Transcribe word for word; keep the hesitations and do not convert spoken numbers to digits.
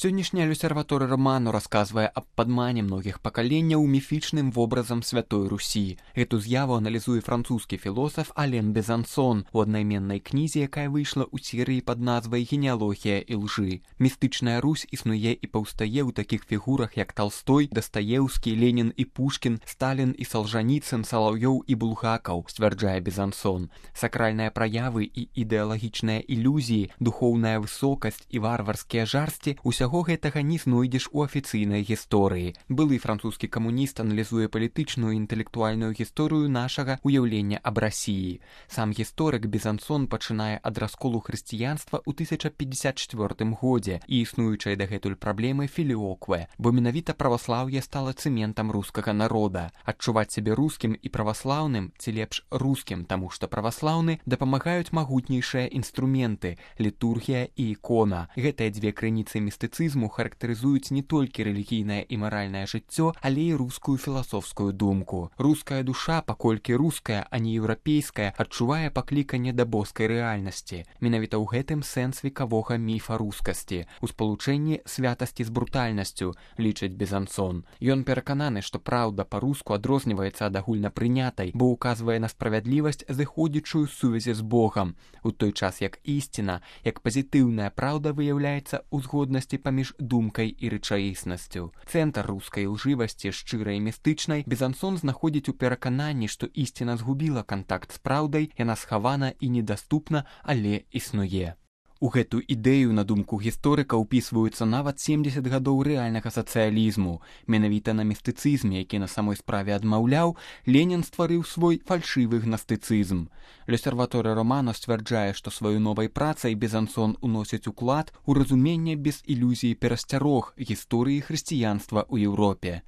Сённяшняя люсерваторыя роману расказвае аб падмане многіх пакаленняў міфічным вобразам святой Русі. Гэту з'яву аналізуе французскі філосаф Ален Безансон у аднайменнай кнізе, якая выйшла ў серыі пад назвай «Генеалогія ілжы». Містычная Русь існуе і паўстае ў такіх фігурах, як Талстой, Дастаеўскі, Ленін і Пушкін, Сталін і Салжаніцын, Салаўёў і Булгакаў, сцвярджае Безансон. Сакральныя праявы і ідэалагічныя ілюзіі, духоўная высокасць і варварскія жарсці – усяго гэтага не знойдзеш у афіцыйнай гісторыі. Былы французскі камуніст аналізуе палітычную і інтэлектуальную гісторыю нашага уяўлення аб Расіі. Сам гісторык Безансон пачынае ад расколу хрысціянства ў тысяча пятьдесят чвёртым годзе і існуючай дагэтуль праблемы філіокве, бо менавіта праваслаўе стала цэментам рускага народа. Адчуваць сябе рускім і праваслаўным, ці лепш рускім, таму што праваслаўны, дапамагаюць магутнейшыя інструменты – літургія і ікона. Гэтыя дзве крыніцы містыцызму характарызуюць не толькі рэлігійнае і маральнае жыццё, але і рускую філасофскую думку. Руская душа, паколькі руская, а не еўрапейская, адчувае пакліканне да боскай рэальнасці. Менавіта ў гэтым сэнс векавога міфа рускасці, у спалучэнні святасці з брутальнасцю, лічыць Безансон. Ён перакананы, што праўда па-руску адрозніваецца ад агульнапрынятай, бо ўказвае на справядлівасць, зыходзячую з сувязі з Богам, у той час як ісціна, як пазітыўная праўда выяўляецца ў згоднасці паміж думкай і рэчаіснасцю. Цэнтр рускай ілжывасці, шчырай і містычнай, Безансон знаходзіць у перакананні, што ісціна згубіла кантакт з праўдай, яна схавана і недаступна, але існуе. У гэту ідэю, на думку гісторыка, ўпісваюцца нават семдзесят гадоў рэальнага сацыялізму. Менавіта на містыцызме, які на самой справе адмаўляў, Ленін стварыў свой фальшывы гнастыцызм. Люсерваторыя роману сцвярджае, што сваёй новай працай Безансон уносіць уклад у разуменне без ілюзій перасцярог гісторыі хрысціянства ў Еўропе.